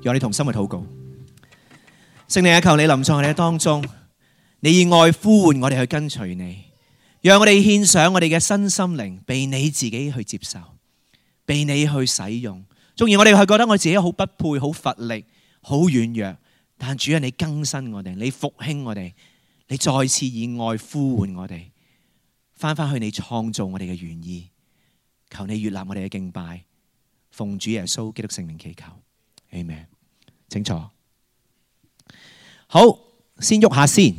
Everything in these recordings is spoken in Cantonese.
讓你同心去禱告。聖靈啊，求你臨在我哋嘅當中，你以愛呼喚我哋去跟隨你，讓我哋獻上我哋嘅身心靈，被你自己去接受，被你去使用。縱然我哋係覺得我自己好不配、好乏力、好軟弱，但主啊，你更新我哋，你復興我哋，你再次以愛呼喚我哋，翻返去你創造我哋嘅原意。求你悅納我哋嘅敬拜，奉主耶穌基督聖名祈求，Amen。請坐。好，先喐下先。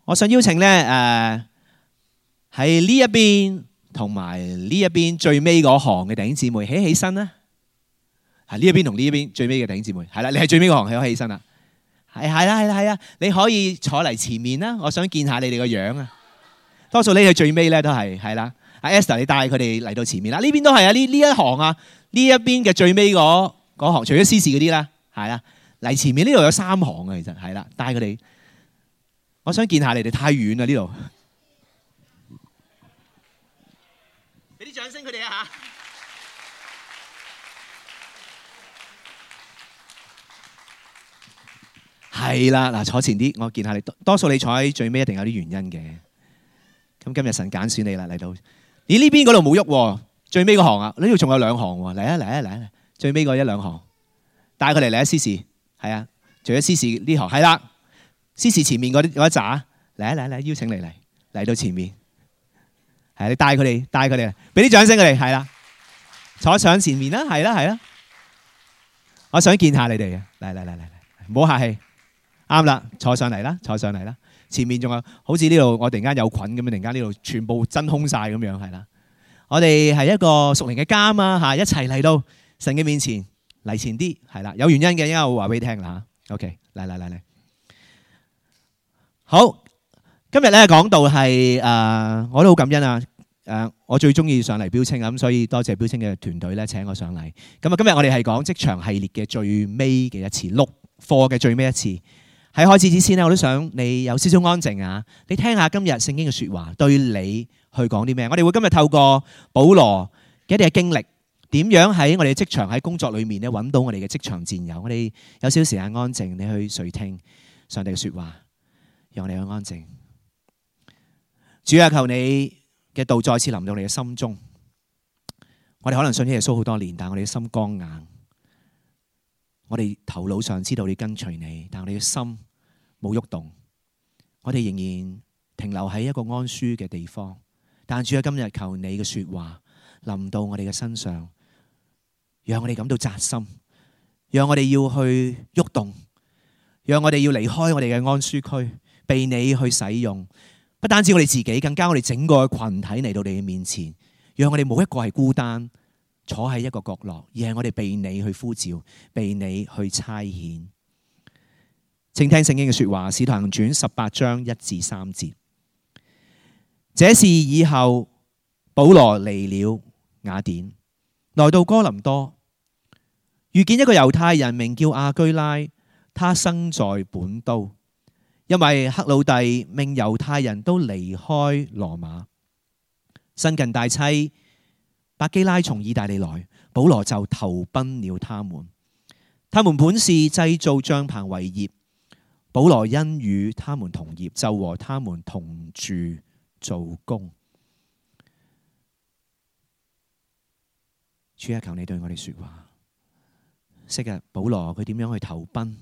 我想邀請咧，喺呢一邊同埋呢一邊最尾嗰行嘅弟兄姊妹起身啦。係呢一邊同呢一邊最尾嘅弟兄姊妹，係啦，你係最尾嗰行，起身啦。係啦，你可以坐嚟前面啦。我想見下你哋個樣啊。多數你係最尾咧都係啦。阿 Esther， 你帶佢哋嚟到前面啦。呢邊都係啊，呢一行啊，呢一邊嘅最尾嗰行，除咗司事嗰啲啦，係啦，嚟前面呢度有3行啊，其實係啦，帶佢哋。我想見下你哋，太遠啦呢度。俾啲掌聲佢哋啊嚇！係啦，嗱，坐前啲，我見下你。多數你坐喺最尾一定有啲原因嘅。咁今日神揀選你啦，嚟到。咦？呢邊嗰度冇喐喎，最尾嗰行啊，呢度仲有2行喎。嚟啊！最尾嗰1、2行，帶佢哋嚟啊！司事係啊，除咗司事呢行係啦，司事前面嗰一紮，嚟，邀請你嚟到前面。係你帶佢哋，俾啲掌聲佢哋，係啦，坐上前面啦，係啦。我想見下你哋嘅，嚟，唔好客氣。啱啦，坐上嚟啦。前面仲有好似呢度，我突然間有菌咁樣，突然間呢度全部真空晒咁樣，係啦。我哋係一個屬靈嘅家啊嚇，一齊嚟到神嘅面前，嚟前啲，係啦，有原因嘅，應該我會話俾你聽啦嚇。OK，嚟。好，今日咧講到係我都好感恩啊。我最中意上嚟標青啊，咁所以多謝標青嘅團隊咧請我上嚟。咁啊，今日我哋係講職場系列嘅最尾嘅一次，6課嘅最尾一次。喺開始之前咧，我都想你有少少安靜啊！你聽下今日聖經嘅説話對你去講啲咩？我哋會今日透過保羅嘅一啲嘅經歷，點樣喺我哋嘅職場喺工作裏面咧揾到我哋嘅職場戰友。我哋有少少時間安靜，你去垂聽上帝嘅説話，讓我哋去安靜。主啊，求你嘅道再次臨到你嘅心中。我哋可能信耶穌好多年，但係我哋嘅心剛硬。我哋頭腦上知道你跟隨你，但係我哋嘅心冇喐動。我哋仍然停留喺一個安舒嘅地方。但主啊，今日求你嘅說話臨到我哋嘅身上，讓我哋感到扎心，讓我哋要去喐動，讓我哋要離開我哋嘅安舒區，被你去使用。不單止我哋自己，更加我哋整個群體嚟到你嘅面前，讓我哋冇一個係孤單坐喺一個角落，而係我哋被你去呼召，被你去差遣。請聽聖經嘅說話，《使徒行傳》18章1至3節。這事以後，保羅離了雅典，來到哥林多，遇見一個猶太人名叫亞居拉，他生在本都，因為克魯弟命猶太人都離開羅馬。新近大妻百基拉從意大利來，保羅就投奔了他們。他們本是製造帳棚為業，保羅因與他們同業，就和他們同住做工。主啊，求你對我哋說話。昔日保羅佢點樣去投奔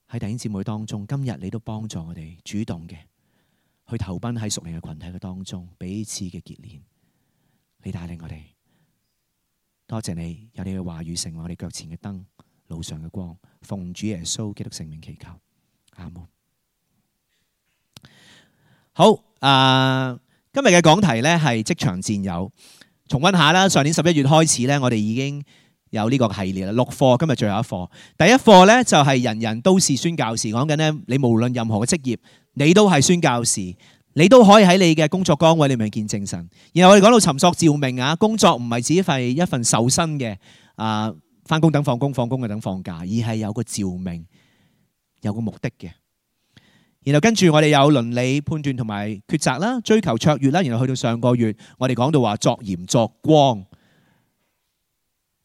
喺弟兄姊妹當中，今日你都幫助我哋主動嘅去投奔喺屬靈嘅群體嘅當中，彼此嘅結連。你帶領我哋，多謝你有你嘅話語成為我哋腳前嘅燈，路上嘅光。奉主耶穌基督聖名祈求，阿門。好，今日嘅講題呢係職場戰友。重溫下啦，上年11月開始呢，我哋已經有呢個系列啦，6課，今日最後一課。第一課呢就係人人都是宣教士，講緊呢，你無論任何嘅職業，你都係宣教士。你都可以喺你嘅工作崗位裏面見證神。然後我哋講到尋索召命啊，工作唔係只係一份受薪嘅返工等放工，放工嘅等放假，而係有個召命，有個目的嘅。然後跟住我哋有倫理判斷同埋抉擇啦，追求卓越啦。然後去到上個月，我哋講到話作鹽作光。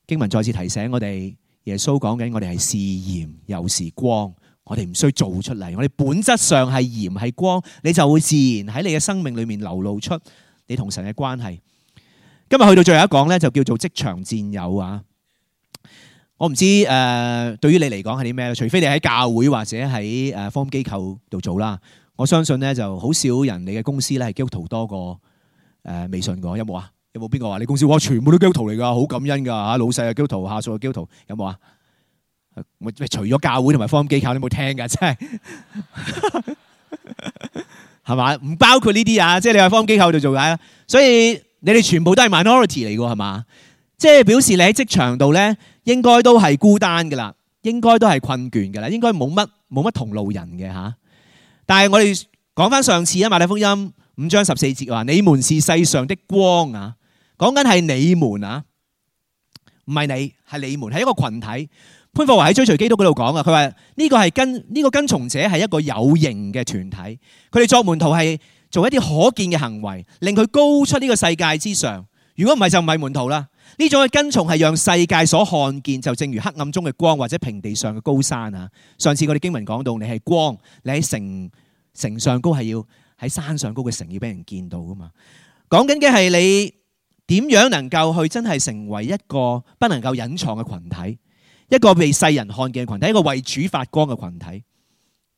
經文再次提醒我哋耶穌講緊我哋係是鹽又是光，我哋唔需要做出嚟，我哋本質上係鹽係光，你就會自然喺你嘅生命裏面流露出你同神嘅關係。今日去到最後一講咧，就叫做職場戰友啊。我唔知對於你嚟講係啲咩，除非你喺教會或者喺福音機構度做啦。我相信咧就好少人你嘅公司咧係基督徒多過未信過，有冇啊？有冇邊個話你公司哇全部都基督徒嚟㗎，好感恩㗎嚇，老細係基督徒，下屬係基督徒，有冇啊？除咗教會同埋福音機構，你有冇聽㗎？真係係嘛？唔包括呢啲啊，即係你喺福音機構度做解啦。所以你哋全部都係 minority 嚟㗎，係嘛？即係表示你喺職場度咧，應該都係孤單㗎啦，應該都係困倦㗎啦，應該冇乜同路人嘅嚇。但係我哋講翻上次啊，馬太福音5章14節話：你們是世上的光啊！講緊係你們啊，唔係你，係你們，係一個群體。潘霍華喺追隨基督嗰度講啊，佢話呢個跟從者係一個有形嘅團體，佢哋作門徒係做一啲可見嘅行為，令佢高出呢個世界之上。如果唔係就唔係門徒啦。呢種嘅跟從係讓世界所看見，就正如黑暗中嘅光或者平地上嘅高山啊。上次我哋經文講到，你係光，你喺城上高係要喺山上高嘅城要俾人見到噶嘛。講緊嘅係你點樣能夠去真係成為一個不能夠隱藏嘅群體，一個被世人看見嘅群體，一個為主發光嘅群體。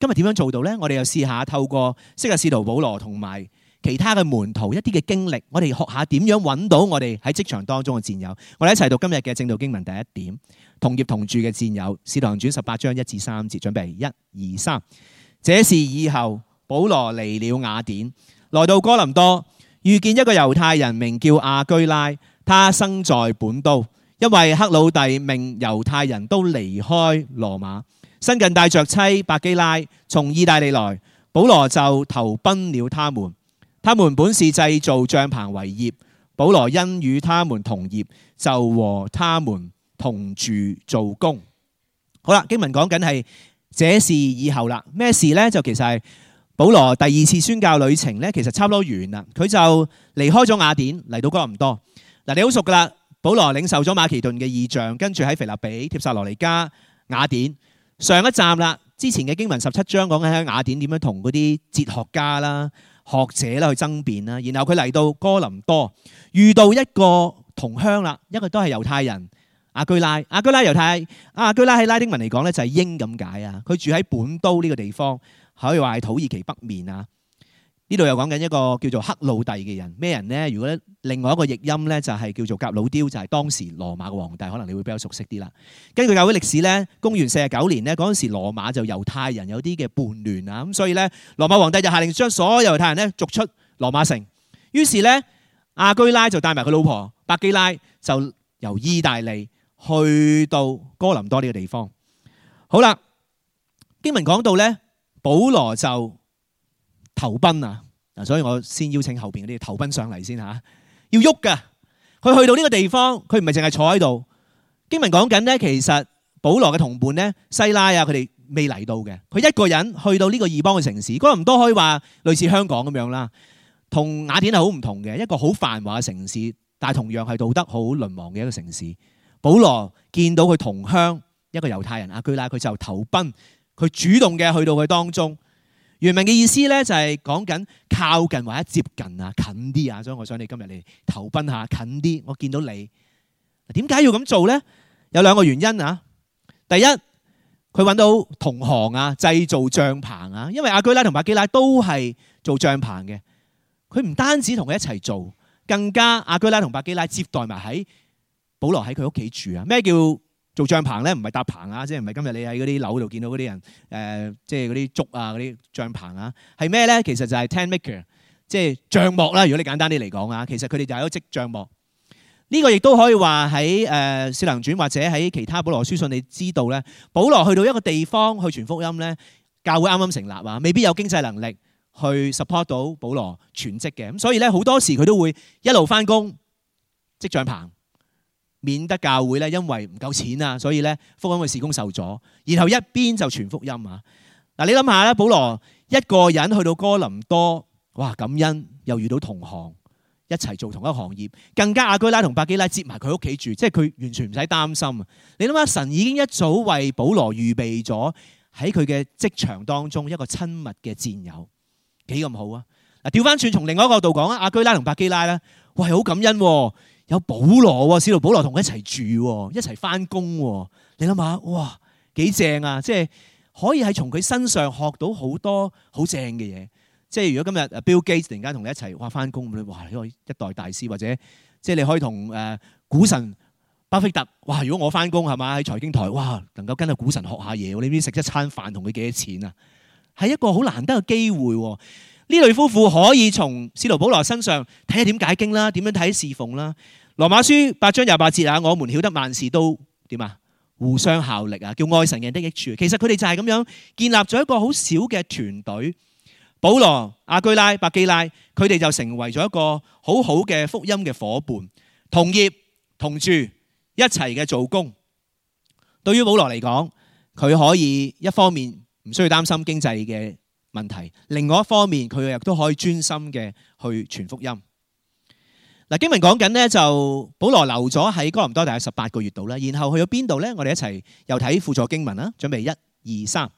今日點樣做到呢？我哋又試下透過昔日使徒保羅同埋其他嘅門徒一啲嘅經歷，我哋學下點樣揾到我哋喺職場當中嘅戰友。我哋一齊讀今日嘅正道經文第一點，同業同住嘅戰友，使徒行傳18章1至3節，準備1、2、3。這事以後，保羅離了雅典，來到哥林多，遇見一個猶太人名叫亞居拉，他生在本都，因為克魯弟命猶太人都離開羅馬，新近帶着妻百基拉從意大利來，保羅就投奔了他們。他們本是製造帳棚為業，保羅因與他們同業，就和他們同住做工。好啦，經文講緊係這事以後啦，咩事呢？就其實係保羅第2次宣教旅程呢，其實差唔多完啦。佢就離開咗雅典，嚟到哥林多。嗱，你好熟噶啦，保羅領受咗馬其頓嘅異象，跟住喺腓立比、帖撒羅尼迦、雅典。上一站啦，之前嘅經文17章講緊喺雅典點樣同嗰啲哲學家啦、學者啦去爭辯啦，然後佢嚟到哥林多，遇到一個同鄉啦，一個都係猶太人亞居拉。亞居拉喺拉丁文嚟講咧就係鷹咁解啊。佢住喺本都呢個地方，可以話係土耳其北面啊。呢度又講緊一個叫做克魯弟嘅人，咩人呢？如果另外一個譯音咧就係叫做革魯丟，就係當時羅馬嘅皇帝，可能你會比較熟悉啲啦。根據教會歷史咧，公元49年咧，嗰陣時羅馬就猶太人有啲嘅叛亂啊，咁所以咧羅馬皇帝就下令將所有猶太人咧逐出羅馬城。於是咧亞居拉就帶埋佢老婆百基拉，就由意大利去到哥林多呢個地方。好啦，經文講到咧，保羅就投奔啊！嗱，所以我先邀請後邊嗰啲投奔上嚟先嚇，要喐噶。佢去到呢個地方，佢唔係淨係坐喺度。經文講緊咧，其實保羅嘅同伴咧，西拉啊，佢哋未嚟到嘅。佢一個人去到呢個異邦嘅城市，哥林多可以話類似香港咁樣啦，同雅典係好唔同嘅，一個好繁華嘅城市，但係同樣係道德好淪亡嘅一個城市。保羅見到佢同鄉一個猶太人亞居拉，佢就投奔，佢主動嘅去到佢當中。原文嘅意思咧就係講緊靠近或者接近啊，近啲啊，所以我想你今日嚟投奔下近啲。我見到你，點解要咁做咧？有兩個原因啊。第一，佢揾到同行啊，製造帳棚啊，因為亞居拉同百基拉都係做帳棚嘅。佢唔單止同佢一齊做，更加亞居拉同百基拉接待埋喺保羅喺佢屋企住啊。咩叫做帳棚咧？唔係搭棚啊，即係唔係今日你喺嗰啲樓度見到嗰啲人即係嗰啲竹啊嗰啲帳棚啊，係咩咧？其實就係 tent maker， 即係帳幕啦。如果你簡單啲嚟講啊，其實佢哋就係一個織帳幕。呢個亦都可以話喺《使徒行傳》或者喺其他保羅書信，你知道咧，保羅去到一個地方去傳福音咧，教會啱啱成立啊，未必有經濟能力去 support 到保羅全職嘅，咁所以咧好多時佢都會一路翻工織帳棚。免得教會咧，因為唔夠錢啊，所以咧福音嘅事工受阻，然後一邊就傳福音啊。嗱，你諗下咧，保羅一個人去到哥林多，哇，感恩又遇到同行，一齊做同一個行業，更加亞居拉同百基拉接埋佢屋企住，即係佢完全唔使擔心。你諗下，神已經一早為保羅預備咗喺佢嘅職場當中一個親密嘅戰友，幾咁好啊！嗱，調翻轉從另外一個角度講啊，亞居拉同百基拉咧，哇，好感恩喎，有保羅喎，使徒保羅同佢一齊住喎，一齊翻工喎。你諗下，哇，幾正啊！即係可以係從佢身上學到好多好正嘅嘢。即係如果今日 Bill Gates 突然間同你一齊哇翻工，哇，呢個一代大師，或者即係你可以同股神巴菲特，哇！如果我翻工係嘛喺財經台，哇，能夠跟阿股神學下嘢，你知食一餐飯同佢幾多錢啊？係一個好難得嘅機會。呢類夫婦可以從使徒保羅身上睇下點解經啦，點樣睇侍奉啦。羅馬書8章28節啊，我們曉得萬事都點啊，互相效力啊，叫愛神嘅人的益處。其實佢哋就係咁樣建立咗一個好小嘅團隊。保羅、亞居拉、百基拉，佢哋就成為咗一個好好嘅福音嘅夥伴，同業同住，一齊嘅做工。對於保羅嚟講，佢可以一方面唔需要擔心經濟嘅問題，另外一方面佢亦都可以專心嘅去傳福音。嗱，經文講緊呢，就保羅留咗喺哥林多大約18個月度啦，然後去咗邊度呢？我哋一齊又睇輔助經文啦，準備1、2、3。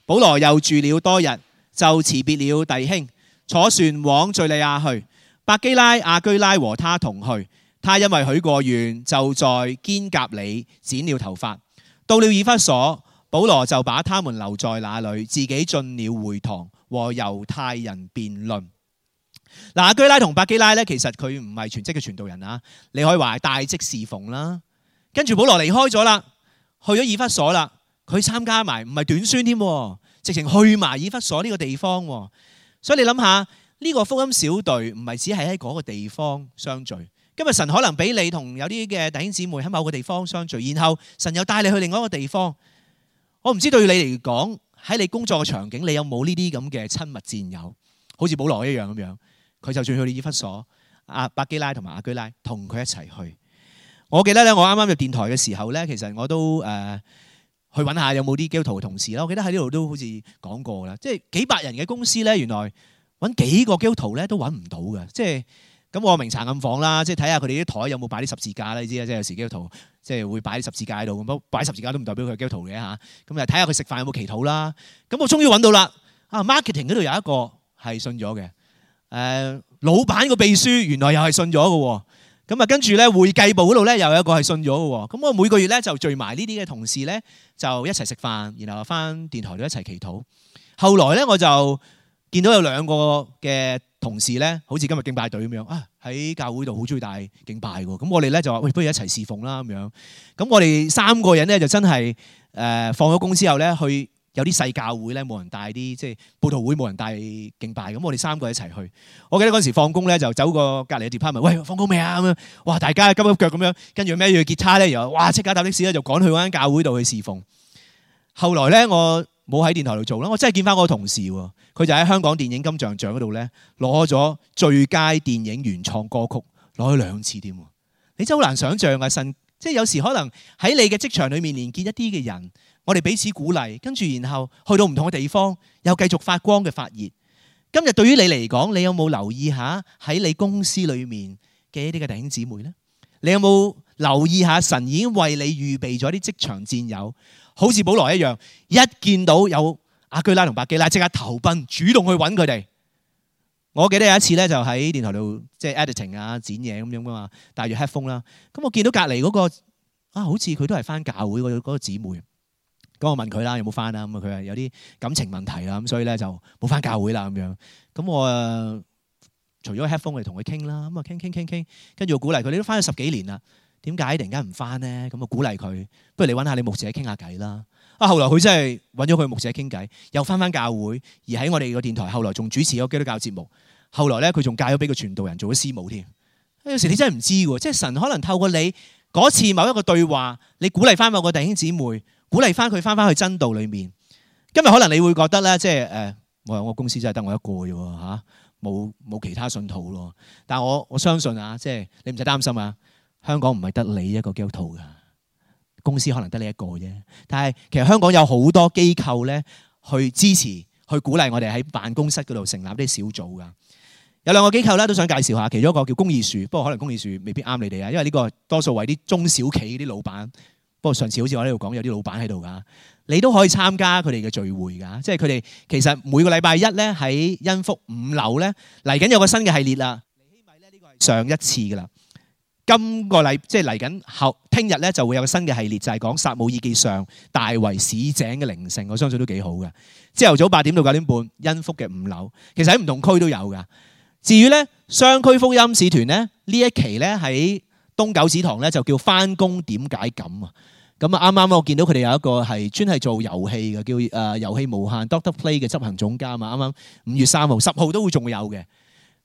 保羅又住了多日，就辭別了弟兄，坐船往敘利亞去。百基拉、亞居拉和他同去。他因為許過願，就在堅革哩剪了頭髮。到了以弗所，保羅就把他們留在那裏，自己進了會堂和猶太人辯論。嗱，亞居拉同百基拉咧，其實佢唔係全職嘅傳道人啊，你可以話係大職侍奉啦。跟住保羅離開咗啦，去咗以弗所啦，佢參加埋唔係短宣添，直情去埋以弗所呢個地方。所以你諗下，呢個福音小隊唔係只係喺嗰個地方相聚。今日神可能俾你同有啲嘅弟兄姊妹喺某個地方相聚，然後神又帶你去另外一個地方。我唔知對你嚟講，喺你工作嘅場景，你有冇呢啲咁嘅親密戰友，好似保羅一樣咁樣。佢就算去到以弗所，百基拉同埋亞居拉同佢一齊去。我記得咧，我啱啱入電台嘅時候咧，其實我都去揾下有冇啲基督徒嘅同事啦。我記得喺呢度都好似講過啦，即係幾百人嘅公司咧，原來揾幾個基督徒咧都揾唔到嘅。即係咁，我明查暗訪啦，即係睇下佢哋啲台有冇擺啲十字架啦。你知啦，即係有時基督徒即係會擺啲十字架喺度，咁擺十字架都唔代表佢係基督徒嘅嚇。咁啊，睇下佢食飯有冇祈禱啦。咁我終於揾到啦。marketing 嗰度有一個係信咗嘅。老闆個秘書原來又係信咗嘅喎，咁啊跟住咧會計部嗰度咧又有一個係信咗嘅喎，咁我每個月咧就聚埋呢啲嘅同事咧就一齊食飯，然後翻電台度一齊祈禱。後來咧我就見到有兩個嘅同事咧，好似今日敬拜隊咁樣啊，喺教會度好中意大敬拜嘅，咁我哋咧就話喂，不如一齊侍奉啦咁樣。咁我哋3個人咧就真係放咗工之後咧去。有啲細教會咧，冇人帶啲，即係佈道會冇人帶敬拜，咁我哋3個一齊去。我記得嗰時放工咧，就走過隔離嘅 department，喂，放工未啊？咁樣，哇！大家急急腳咁樣，跟住孭住吉他咧，然後哇即刻搭的士咧就趕去嗰間教會度去侍奉。後來咧，我冇喺電台度做啦，我真係見翻嗰個同事喎，佢就喺香港電影金像獎嗰度咧攞咗最佳電影原創歌曲，攞咗2次添。你真係好難想像啊！神即係有時可能喺你嘅職場裏面連結一啲嘅人。我哋彼此鼓勵，跟住然後去到唔同嘅地方，又繼續發光嘅發熱。今日對於你嚟講，你有冇留意下喺你公司裏面嘅一啲嘅弟兄姊妹呢？你有冇留意下神已經為你預備咗啲職場戰友，好似保羅一樣，一見到有亞居拉同百基拉，即刻投奔，主動去揾佢哋。我記得有一次咧，就喺電台度即係 editing 啊、剪嘢咁樣噶嘛，戴住 headphone 啦。咁我見到隔離嗰個好似佢都係返教會嗰個姊妹。咁我問佢啦，有冇翻啊？咁佢話有啲感情問題啦，咁所以咧就冇翻教會啦咁樣。咁我除咗 headphone 嚟同佢傾啦，咁啊傾，跟住我鼓勵佢，你都翻咗10幾年啦，點解突然間唔翻咧？咁我鼓勵佢，不如你揾下你牧者傾下偈啦。後來佢真係揾咗佢牧者傾偈，又翻教會，而喺我哋個電台，後來仲主持咗基督教節目。後來咧佢仲嫁咗俾個傳道人做咗師母添。有時你真係唔知喎，即係神可能透過你嗰次某一個對話，你鼓勵翻某個弟兄姊妹。鼓勵翻佢翻去真道裏面。今日可能你會覺得咧，即係我公司真係得我一個嘅喎嚇，冇其他信徒咯。但係我相信啊，即係你唔使擔心啊。香港唔係得你一個基督徒㗎，公司可能得你一個啫。但係其實香港有好多機構咧，去支持、去鼓勵我哋喺辦公室嗰度成立啲小組㗎。有兩個機構咧都想介紹下，其中一個叫公義樹，不過可能公義樹未必啱你哋啊，因為呢個多數為啲中小企啲老闆。不過上次好似我喺度講有啲老闆喺度㗎，你都可以參加佢哋嘅聚會㗎，即係佢哋其實每個禮拜一咧喺恩福5樓咧嚟緊有個新嘅系列啦。尼希米咧呢個係上一次㗎啦，今個禮即係嚟緊後聽日咧就會有個新嘅系列，就係講撒母耳記上大衛市井嘅靈性，我相信都幾好嘅。朝頭早8點到9點半，恩福嘅5樓，其實喺唔同區都有㗎。至於咧雙區福音使團咧呢一期咧喺東九祠堂咧就叫返工點解咁啊？咁啊啱啱我見到佢哋有一個係專係做遊戲嘅，叫遊戲無限 Doctor Play 嘅執行總監啊，啱啱5月3號、10號都會仲會有嘅。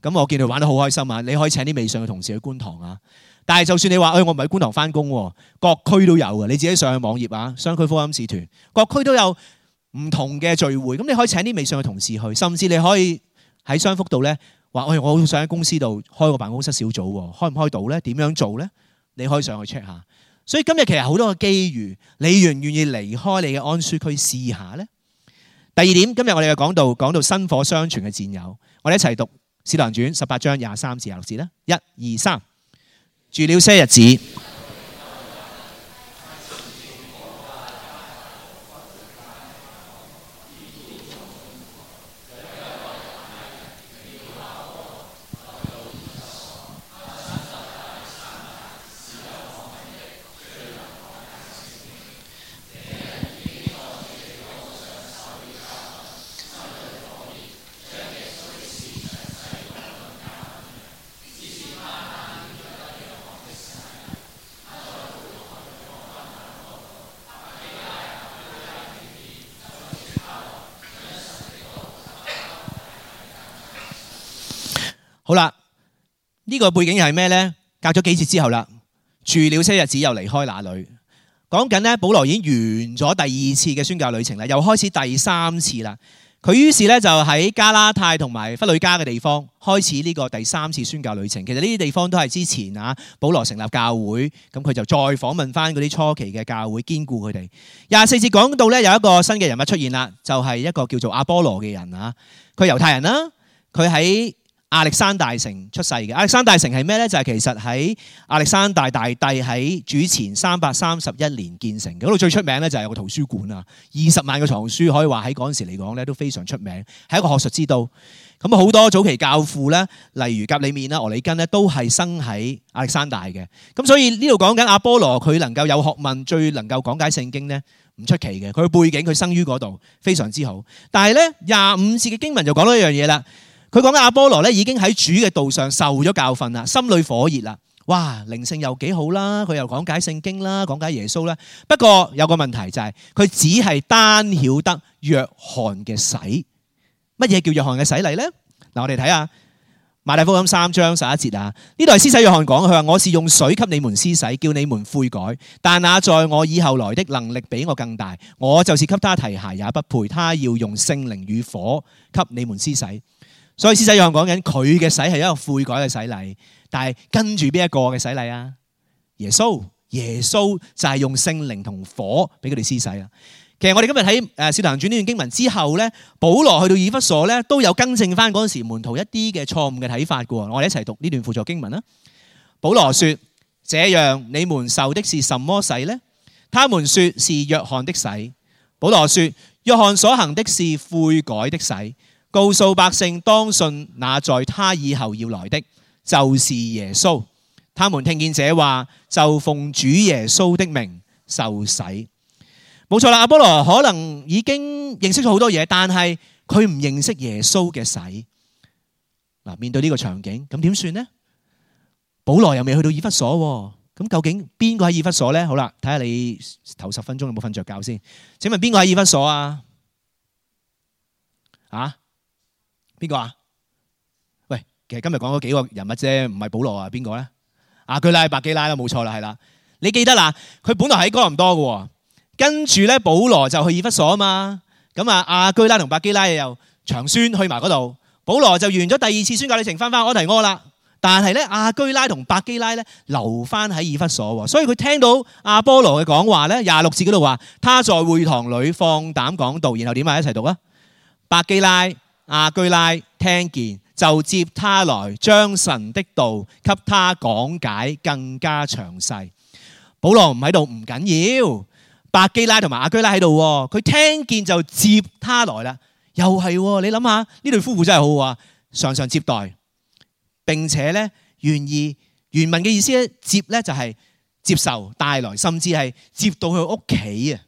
咁我見佢玩得好開心啊！你可以請啲未信嘅同事去觀塘啊。但係就算你話，我唔喺觀塘返工喎，各區都有嘅。你自己上去網頁啊，雙區福音使團，各區都有唔同嘅聚會。咁你可以請啲未信嘅同事去，甚至你可以喺雙福度咧話，我好想喺公司度開個辦公室小組喎，開唔開到咧？點樣做咧？你可以上去 check 下。所以今日其實好多嘅機遇，你願唔願意離開你嘅安舒區試下呢？第二點，今日我哋嘅講到薪火相傳嘅戰友，我哋一齊讀《使徒行傳》18章23至26節啦。1、2、3，住了些日子。好啦，呢個背景係咩呢？隔咗幾節之後啦，住了些日子又離開那裏。講緊呢，保羅已經完咗第2次嘅宣教旅程啦，又開始第3次啦。佢於是咧就喺加拉太同埋弗呂家嘅地方開始呢個第3次宣教旅程。其實呢啲地方都係之前保羅成立教會，咁佢就再訪問翻嗰啲初期嘅教會，堅固佢哋。24節講到咧有一個新嘅人物出現啦，就係一個叫做阿波羅嘅人啊。佢係猶太人啦，佢喺亞歷山大城出世嘅。亞歷山大城係咩咧？就係其實喺亞歷山大大帝喺主前331年建成嘅。嗰度最出名咧就係有個圖書館啊，20萬個藏書，可以話喺嗰陣時嚟講咧都非常出名，係一個學術之都。咁好多早期教父咧，例如革里面啦、俄里根咧，都係生喺亞歷山大嘅。咁所以呢度講緊阿波羅，佢能夠有學問，最能夠講解聖經咧，唔出奇嘅。佢嘅背景，佢生於嗰度，非常之好。但係咧25節嘅經文就講到一樣嘢啦。佢講緊阿波羅咧已經喺主嘅道上受咗教訓啦，心裏火熱啦，哇，靈性又幾好啦，佢又講解聖經啦，講解耶穌啦。不過有個問題就係佢只係單曉得約翰嘅洗。乜嘢叫約翰嘅洗禮咧？嗱，我哋睇下馬太福音3章11節啊，呢度係施洗約翰講，佢話我是用水給你們施洗，叫你們悔改，但那在我以後來的能力比我更大，我就是給他提鞋也不配，他要用聖靈與火給你們施洗。所以施洗約翰講緊佢嘅洗係一個悔改嘅洗禮，但係跟住邊一個嘅洗禮啊？耶穌就係用聖靈同火俾佢哋施洗啦。其實我哋今日喺《使徒行傳》呢段經文之後咧，保羅去到以弗所咧都有更正翻嗰陣時門徒一啲嘅錯誤嘅睇法嘅。我哋一齊讀呢段輔助經文啦。保羅說：這樣你們受的是什麼洗呢？他們說是約翰的洗。保羅說：約翰所行的是悔改的洗，告訴百姓當信那在他以後要來的，就是耶穌。他們聽見這話，就奉主耶穌的名受洗。冇錯啦，阿波羅可能已經認識咗好多嘢，但係佢唔認識耶穌嘅洗。嗱，面對呢個場景，咁點算呢？保羅又未去到以弗所，咁究竟邊個喺以弗所呢？好啦，睇下你頭10分鐘有冇瞓着覺先。請問邊個喺以弗所啊？啊？邊個啊？喂，其實今日講咗幾個人物啫，唔係保羅啊，邊個咧？亞居拉、百基拉啦，冇錯啦，係啦。你記得啦，佢本來喺哥林多嘅，跟住咧保羅就去以弗所啊嘛。咁啊，亞居拉同百基拉又長宣去埋嗰度，保羅就完咗第2次宣教旅程，翻安提阿啦。但係咧，亞居拉同百基拉咧留翻喺以弗所，所以佢聽到阿波羅嘅講話咧，26節嗰度話，他在會堂裏放膽講道，然後點啊？一齊讀啊！百基拉、亞居拉聽見就接他來，將神的道給他講解更加詳細。保羅唔喺度唔緊要，百基拉同埋亞居拉喺度，佢聽見就接他來啦。又係，你諗下呢對夫婦真係好啊，常常接待，並且咧願意。原文嘅意思咧，接咧就係接受帶來，甚至係接到佢屋企啊。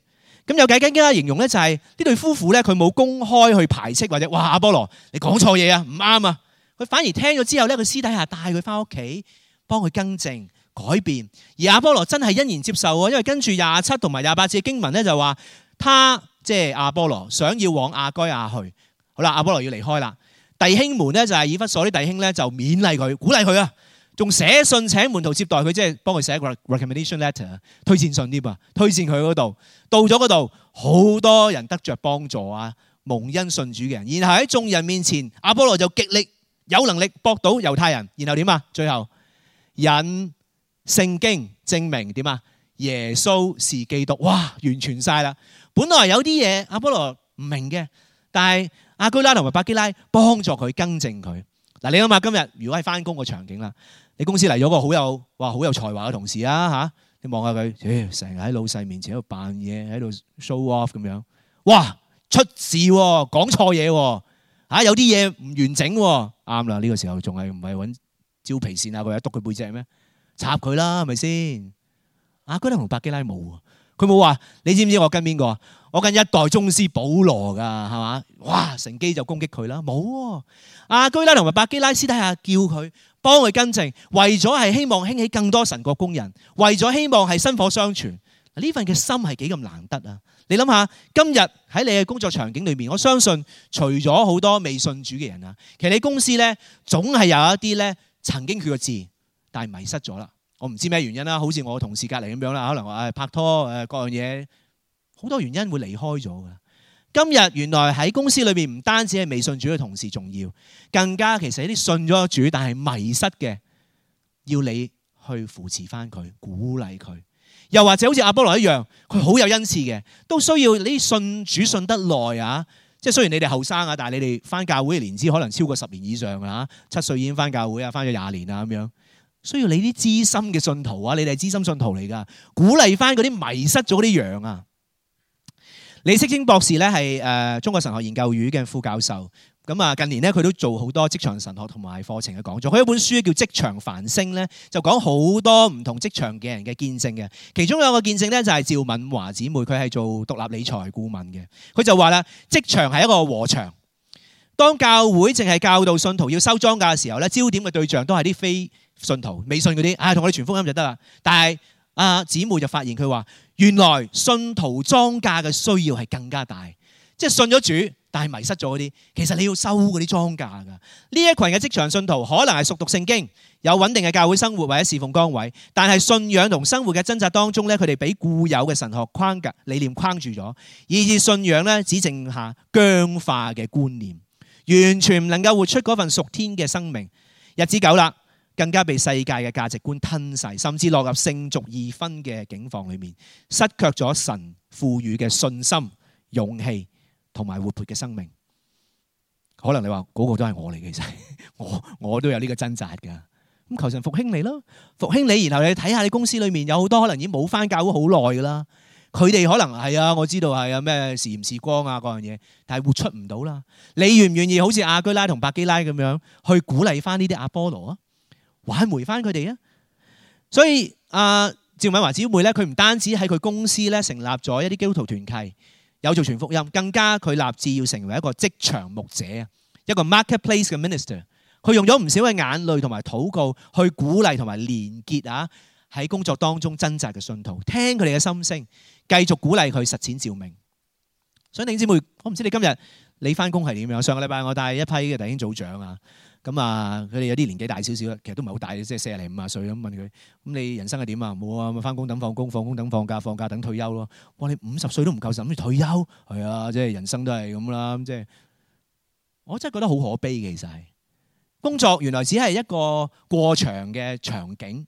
咁有更加形容咧，就係呢對夫婦咧，佢冇公開去排斥或者哇阿波羅你講錯嘢啊，唔啱啊。佢反而聽咗之後咧，佢私底下帶佢翻屋企，幫佢更正改變。而阿波羅真係欣然接受喎，因為跟住27同埋28節嘅經文咧就話，他即係阿波羅想要往亞該亞去。好啦，阿波羅要離開啦。弟兄們咧就係以弗所啲弟兄咧就勉勵佢，鼓勵佢啊，仲寫信請門徒接待佢，即係幫佢寫個 recommendation letter 推薦信啲啊，推薦佢嗰度。到咗嗰度，好多人得着幫助啊，蒙恩信主嘅人。然後喺眾人面前，阿波羅就極力有能力駁倒猶太人。然後點啊？最後引聖經證明點啊？耶穌是基督。哇，完全晒啦！本來有啲嘢阿波羅唔明嘅，但係亞居拉同埋百基拉幫助佢更正佢。嗱，你諗下今日如果係翻工個場景啦，你公司嚟咗個好有才華嘅同事啊嚇，你望下佢，成日喺老細面前喺度扮嘢，喺度 show off 咁樣，哇出事喎，講錯嘢喎，嚇有啲嘢唔完整喎，啱啦，呢個時候仲係唔係揾蕉皮線啊，佢一篤佢背脊咩？插佢啦，係咪先？亞居拉同百基拉冇啊，佢冇話你知唔知我跟邊個啊？我跟一代宗師保羅㗎，係嘛？哇！乘機就攻擊佢啦，冇喎。亞居拉同埋百基拉私底下叫佢幫佢更正，為咗係希望興起更多神國工人，為咗希望係薪火相傳。呢份嘅心係幾咁難得啊！你諗下，今日喺你嘅工作場景裏面，我相信除咗好多未信主嘅人啊，其實你公司咧總係有一啲咧曾經決過志，但係迷失咗啦。我唔知咩原因啦，好似我同事隔離咁樣啦，可能話拍拖各樣嘢。好多原因會離開咗㗎。今日原來喺公司裏面唔單止係未信主嘅同事重要，更加其實一啲信咗主但係迷失嘅，要你去扶持翻佢，鼓勵佢。又或者好似阿波羅一樣，佢好有恩賜嘅，都需要你信主信得耐啊。即係雖然你哋後生啊，但係你哋翻教會嘅年資可能超過10年以上啊，7歲已經翻教會啊，翻咗20年啊咁樣。需要你啲資深嘅信徒啊，你哋係資深信徒嚟㗎，鼓勵翻嗰啲迷失咗嗰啲羊啊。李適清博士咧係中國神學研究院嘅副教授，咁啊近年咧佢都做好多職場神學同埋課程嘅講座。佢有一本書叫《職場繁星》咧，就講好多唔同職場嘅人嘅見證嘅。其中有一個見證咧就係趙敏華姊妹，佢係做獨立理財顧問嘅。佢就話啦，職場係一個禾場，當教會淨係教導信徒要收莊稼嘅時候咧，焦點嘅對象都係啲非信徒、未信嗰啲，同我哋傳福音就得啦。但係姊妹就發現佢話，原來信徒莊稼嘅需要係更加大，即係信咗主但係迷失咗嗰啲，其實你要收嗰啲莊稼㗎。呢一群嘅職場信徒可能係熟讀聖經，有穩定嘅教會生活或者侍奉崗位，但係信仰同生活嘅掙扎當中咧，佢哋俾固有嘅神學框架理念框住咗，以致信仰咧只剩下僵化嘅觀念，完全唔能夠活出嗰份屬天嘅生命。日子久啦，更加被世界嘅價值觀吞噬，甚至落入聖俗二分嘅境況裏面，失卻咗神賦予嘅信心、勇氣同埋活潑嘅生命。可能你話嗰個都係我嚟嘅，其實我都有呢個掙扎㗎。咁求神復興你咯，復興你，然後你睇下你公司裏面有好多可能已經冇返教會好耐㗎啦。佢哋可能係啊，我知道係啊，咩時鹽時光啊嗰樣嘢，但係活出唔到啦。你願唔願意好似亞居拉同百基拉咁樣去鼓勵返呢啲阿波羅啊？挽回翻佢哋啊！所以趙敏華姊妹咧，佢唔單止喺佢公司咧成立咗一啲基督徒團契，有做傳福音，更加佢立志要成為一個職場牧者啊，一個 marketplace 嘅 minister。佢用咗唔少嘅眼淚同埋禱告去鼓勵同埋連結啊，喺工作當中掙扎嘅信徒，聽佢哋嘅心聲，繼續鼓勵佢實踐召命。所以弟兄姊妹，我唔知你今日你翻工係點樣？上個禮拜我帶一批嘅弟兄組長啊。咁啊，佢哋有啲年紀大少少啦，其實都唔係好大，即係40零50歲咁。問佢：咁你人生係點啊？冇啊，咪翻工等放工，放工等放假，放假等退休咯。哇！你50歲都唔夠，諗住退休？係啊，即係人生都係咁啦。即係我真係覺得好可悲嘅，其實係工作原來只係一個過場嘅場景。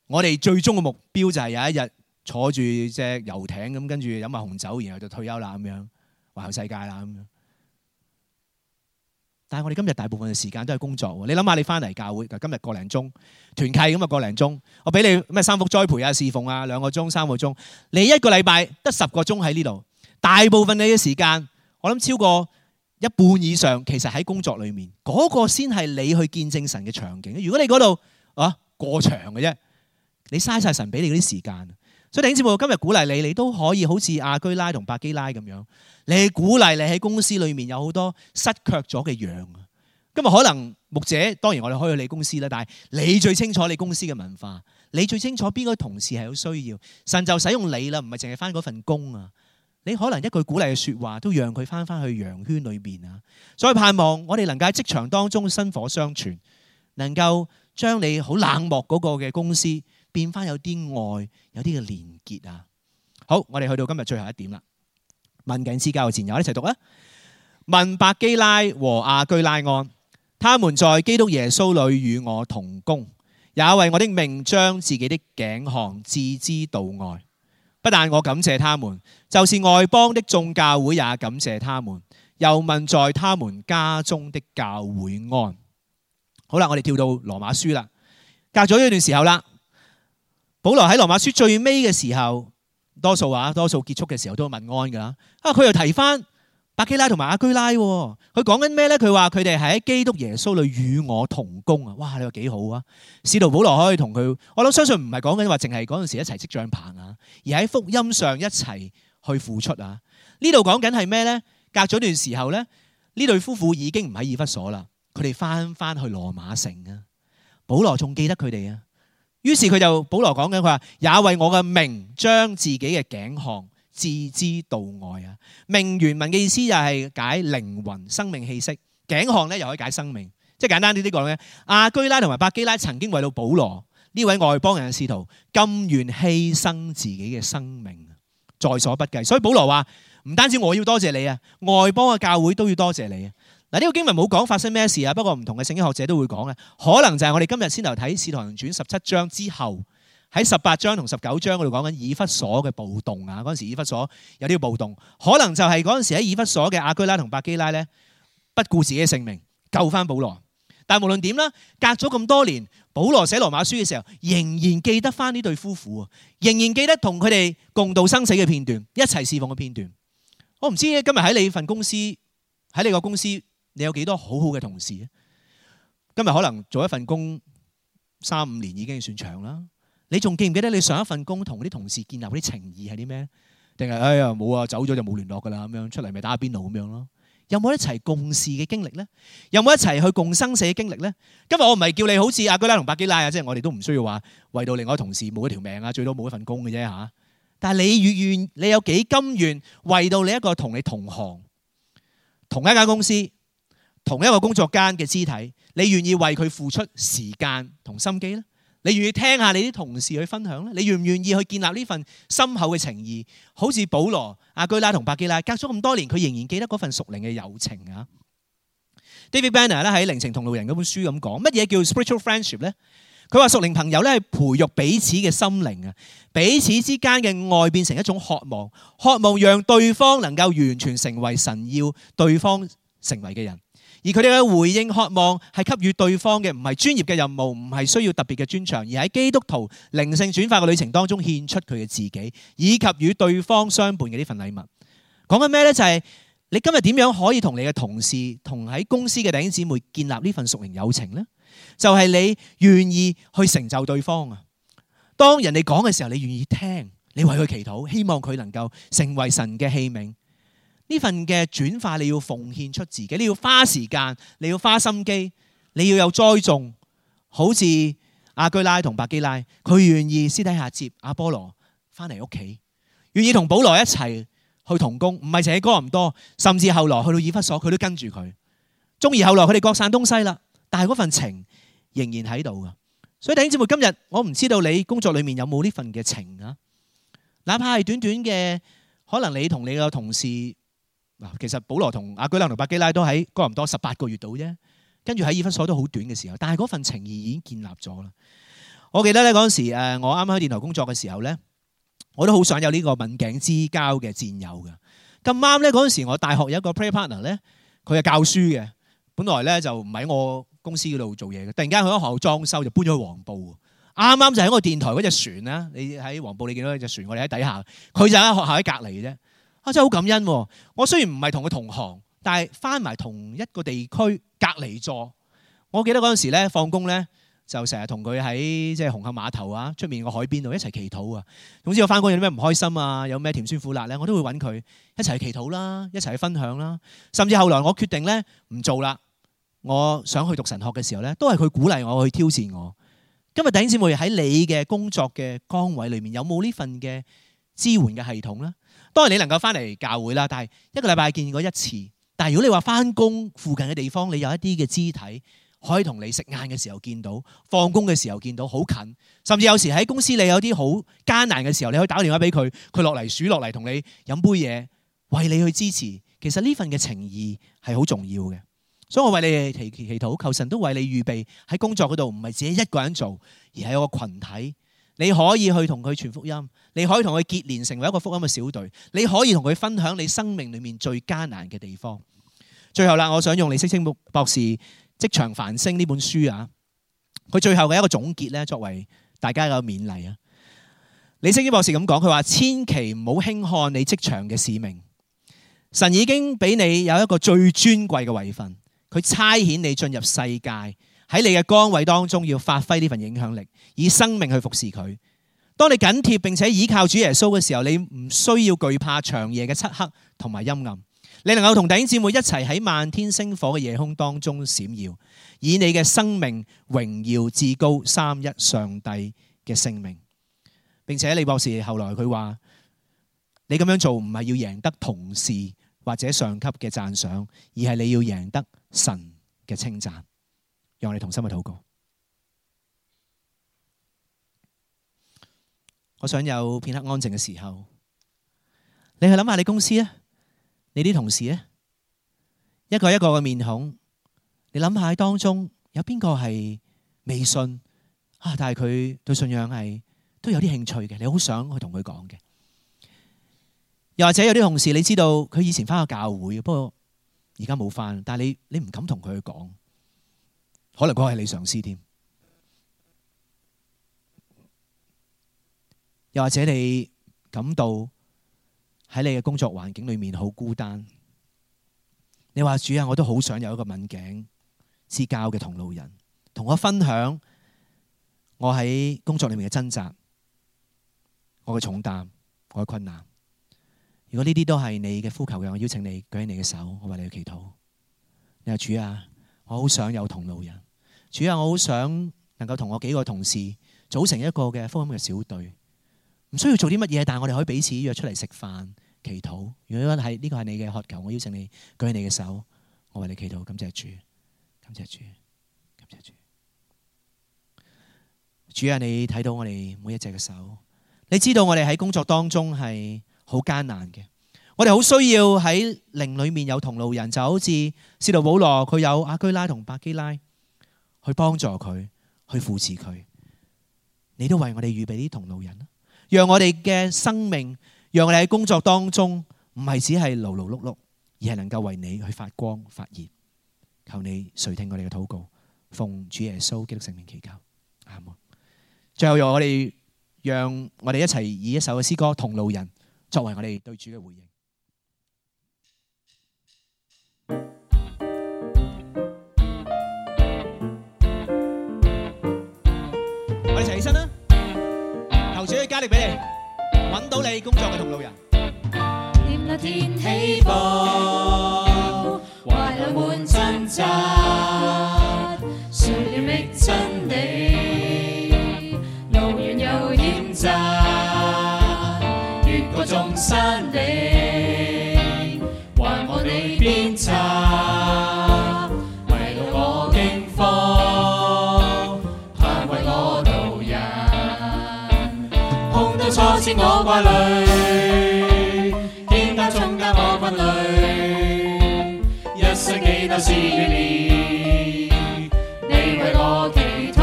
我哋最終嘅目標就係有一日坐住隻遊艇咁，跟住飲下紅酒，然後就退休啦咁樣，環遊世界啦咁樣。但係我哋今日大部分嘅時間都係工作喎。你諗下，你翻嚟教會，今日個零鐘團契咁啊，個零鐘，我俾你咩三福栽培啊、侍奉啊2個鐘、3個鐘，你一個禮拜得10個鐘喺呢度，大部分你嘅時間，我諗超過一半以上，其實喺工作裏面，嗰個先係你去見證神嘅場景。如果你嗰度過長嘅啫，你嘥晒神俾你嗰啲時間。所以弟兄姊妹，今日鼓勵你，你都可以好似亞居拉同百基拉咁樣，你鼓勵你喺公司裏面有好多失卻咗嘅羊。今日可能牧者，當然我哋可以去你公司啦，但係你最清楚你公司嘅文化，你最清楚邊個同事係有需要，神就使用你啦，唔係淨係翻嗰份工啊。你可能一句鼓勵嘅說話都讓佢翻去羊圈裏邊啊。所以盼望我哋能夠喺職場當中薪火相傳，能夠將你好冷漠嗰個嘅公司變翻有啲愛，有啲嘅連結啊。好，我哋去到今日最後一點啦。問緊之交嘅戰友，一齊讀啊。問百基拉和亞居拉安，他們在基督耶穌裏與我同工，也為我的命將自己的頸項置之度外。不但我感謝他們，就是外邦的眾教會也感謝他們。又問在他們家中的教會安。好啦，我哋跳到羅馬書啦，隔咗一段時候啦。保羅喺羅馬書最尾嘅時候，多數結束嘅時候都會問安噶啦。佢又提翻百基拉同埋亞居拉，佢講緊咩咧？佢話佢哋係喺基督耶穌裏與我同工啊！哇，你話幾好啊！使徒保羅可以同佢，我諗相信唔係講緊話淨係嗰陣時一齊織帳棚啊，而喺福音上一齊去付出啊。呢度講緊係咩咧？隔咗段時候咧，呢對夫婦已經唔喺以弗所啦，佢哋翻去羅馬城啊。保羅仲記得佢哋啊。於是保羅講緊，佢話也為我嘅名將自己嘅頸項置之度外啊。命原文嘅意思就係解靈魂、生命氣息，頸項咧又可以解生命。即係簡單啲講咧，亞居拉同埋百基拉曾經為到保羅呢位外邦人嘅使徒，甘願犧牲自己嘅生命，在所不計。所以保羅話唔單止我要多謝你啊，外邦嘅教會都要多謝你啊。嗱，呢個經文冇講發生咩事啊，不過唔同嘅聖經學者都會講啊，可能就係我哋今日先頭睇《使徒行傳》17章之後，喺18章同19章嗰度講緊以弗所嘅暴動啊。嗰陣時以弗所有啲暴動，可能就係嗰陣時喺以弗所嘅亞居拉同百基拉咧，不顧自己嘅性命救翻保羅。但係無論點啦，隔咗咁多年，保羅寫羅馬書嘅時候，仍然記得翻呢對夫婦啊，仍然記得同佢哋共度生死嘅片段，一齊侍奉嘅片段。我唔知今日喺你份公司，喺你個公司，你有幾多好好嘅同事？今日可能做一份工3-5年已經算長啦。你仲記唔記得你上一份工同啲同事建立啲情誼係啲咩？定係哎呀冇啊，走咗就冇聯絡噶啦，咁樣出嚟咪打下邊爐咁樣咯？有冇一齊共事嘅經歷咧？有冇一齊去共生死嘅經歷咧？今日我唔係叫你好似亞居拉同百基拉啊，即係我哋都唔需要話為到另外一個同事冇一條命啊，最多冇一份工嘅啫嚇。但係你有幾甘願為到你一個同你同行、同一間公司、同一個工作間嘅肢體，你願意為佢付出時間同心機咧？你願意聽下你啲同事去分享咧？你願唔願意去建立呢份深厚嘅情誼？好似保羅、亞居拉同百基拉，隔咗咁多年，佢仍然記得嗰份屬靈嘅友情啊。David Banner 咧喺《靈情同路人》嗰本書咁講，乜嘢叫 spiritual friendship 咧？佢話屬靈朋友咧係培育彼此嘅心靈啊，彼此之間嘅愛變成一種渴望，渴望讓對方能夠完全成為神要對方成為嘅人。而佢哋嘅回應渴望係給予對方嘅唔係專業嘅任務，唔係需要特別嘅專長，而喺基督徒靈性轉化嘅旅程當中獻出佢嘅自己，以及與對方相伴嘅呢份禮物。講緊咩呢？就係你今日點樣可以同你嘅同事、同喺公司嘅弟兄姊妹建立呢份屬靈友情呢？就係你願意去成就對方啊！當人哋講嘅時候，你願意聽，你為佢祈禱，希望佢能夠成為神嘅器皿。呢份嘅轉化，你要奉獻出自己，你要花時間，你要花心機，你要有栽種。好似亞居拉同百基拉，佢願意私底下接阿波羅翻嚟屋企，願意同保羅一齊去同工，唔係淨係哥林多，甚至後來去到以弗所，佢都跟住佢。縱而後來佢哋各散東西啦，但係嗰份情仍然喺度噶。所以弟兄姊妹，今日我唔知道你工作裏面有冇呢份嘅情啊？哪怕係短短嘅，可能你同你嘅同事。其實保羅同亞居拉同百基拉都喺哥林多18個月度啫，跟住喺以弗所都好短嘅時候，但係嗰份情誼已經建立咗啦。我記得咧嗰陣時，我啱啱喺電台工作嘅時候咧，我都好想有呢個刎頸之交嘅戰友嘅。咁啱咧嗰陣時，我大學有一個 prayer partner 咧，佢係教書嘅，本來咧就唔喺我公司嗰度做嘢嘅，突然間佢喺學校裝修就搬咗去黃埔。啱啱就喺個電台嗰隻船啦，你喺黃埔你見到隻船，我哋喺底下，佢就喺學校喺隔離嘅啫。啊，真係好感恩喎！我雖然唔係同佢同行，但係翻埋同一個地區隔離座。我記得嗰陣時咧放工咧，就成日同佢喺即係紅磡碼頭啊出面個海邊度一齊祈禱啊。總之我翻工有啲咩唔開心啊，有咩甜酸苦辣咧，我都會揾佢一齊去祈禱啦，一齊去分享啦。甚至後來我決定咧唔做啦，我想去讀神學嘅時候咧，都係佢鼓勵我去挑戰我。今日弟兄姊妹喺你嘅工作嘅崗位裏面，有冇呢份嘅支援嘅系統咧？當然你能夠翻嚟教會啦，但係一個禮拜見過一次。但係如果你話翻工附近嘅地方，你有一啲嘅肢體可以同你食晏嘅時候見到，放工嘅時候見到，好近。甚至有時喺公司你有啲好艱難嘅時候，你可以打電話俾佢，佢落嚟數落嚟同你飲杯嘢，為你去支持。其實呢份嘅情義係好重要嘅。所以我為你哋祈禱，求神都為你預備喺工作嗰度，唔係自己一個人做，而係有個群體。你可以去同佢傳福音，你可以同佢結連成為一個福音嘅小隊，你可以同佢分享你生命裏面最艱難嘅地方。最後啦，我想用李適清博士《職場繁星》呢本書啊，佢最後嘅一個總結咧，作為大家嘅勉勵啊。李適清博士咁講，佢話：千祈唔好輕看你職場嘅使命，神已經俾你有一個最尊貴嘅位份。佢差遣你進入世界，喺你嘅崗位當中要發揮呢份影響力，以生命去服侍佢。當你緊貼並且倚靠主耶穌嘅時候，你唔需要懼怕長夜嘅漆黑同埋陰暗，你能夠同弟兄姊妹一齊喺漫天星火嘅夜空當中閃耀，以你嘅生命榮耀至高三一上帝嘅聖名。並且李博士後來佢話：你咁樣做唔係要贏得同事或者上級嘅讚賞，而係你要贏得神嘅稱讚。讓我哋同心去禱告。我想有片刻安靜嘅時候，你去諗下你公司啊，你啲同事啊，一個一個嘅面孔，你諗下喺當中有邊個係未信啊？但係佢對信仰係都有啲興趣嘅，你好想去同佢講嘅。又或者有啲同事你知道佢以前翻過教會，不過而家冇翻，但係你唔敢同佢講，可能嗰個係你上司添。又或者你感到喺你嘅工作環境裏面好孤單，你話主啊，我都好想有一個刎頸之交嘅同路人，同我分享我喺工作裏面嘅掙扎，我嘅重擔，我嘅困難。如果呢啲都係你嘅呼求嘅，我邀請你舉起你嘅手，我為你去祈禱。你話主啊，我好想有同路人。主啊，我好想能夠同我幾個同事組成一個嘅福音嘅小隊，唔需要做啲乜嘢，但係我哋可以彼此約出嚟食飯祈禱。如果係呢個係你嘅渴求，我邀請你舉起你嘅手，我為你祈禱。感謝主，感謝主，感謝主。主啊，你睇到我哋每一隻嘅手，你知道我哋喺工作當中係好艱難嘅，我哋好需要喺靈裏面有同路人，就好似使徒保羅佢有亞居拉同百基拉去幫助佢，去扶持佢。你都為我哋預備啲同路人，讓我哋嘅生命，讓我哋喺工作當中唔係只係勞勞碌碌，而係能夠為你去發光發熱。求你垂聽我哋嘅禱告，奉主耶穌基督聖名祈求，阿門。最後讓我哋一齊以一首嘅詩歌《同路人》作為我哋對主嘅回應。我哋一齊起身啦，求主去加力俾你，揾到你工作嘅同路人。念那天起步，懷裏滿掙扎，誰要覓真理，路遠又險窄，越過眾山嶺，還望你鞭策，為路我驚慌，盼為我導引，碰到挫折我掛慮，肩擔重擔我分類，一生幾多試煉，你為我祈禱，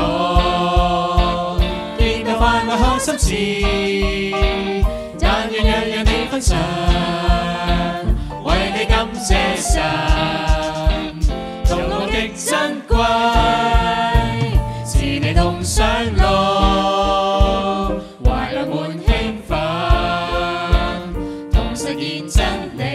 見到快樂好心志，但願樣樣你分享，為你感謝神，同路真理。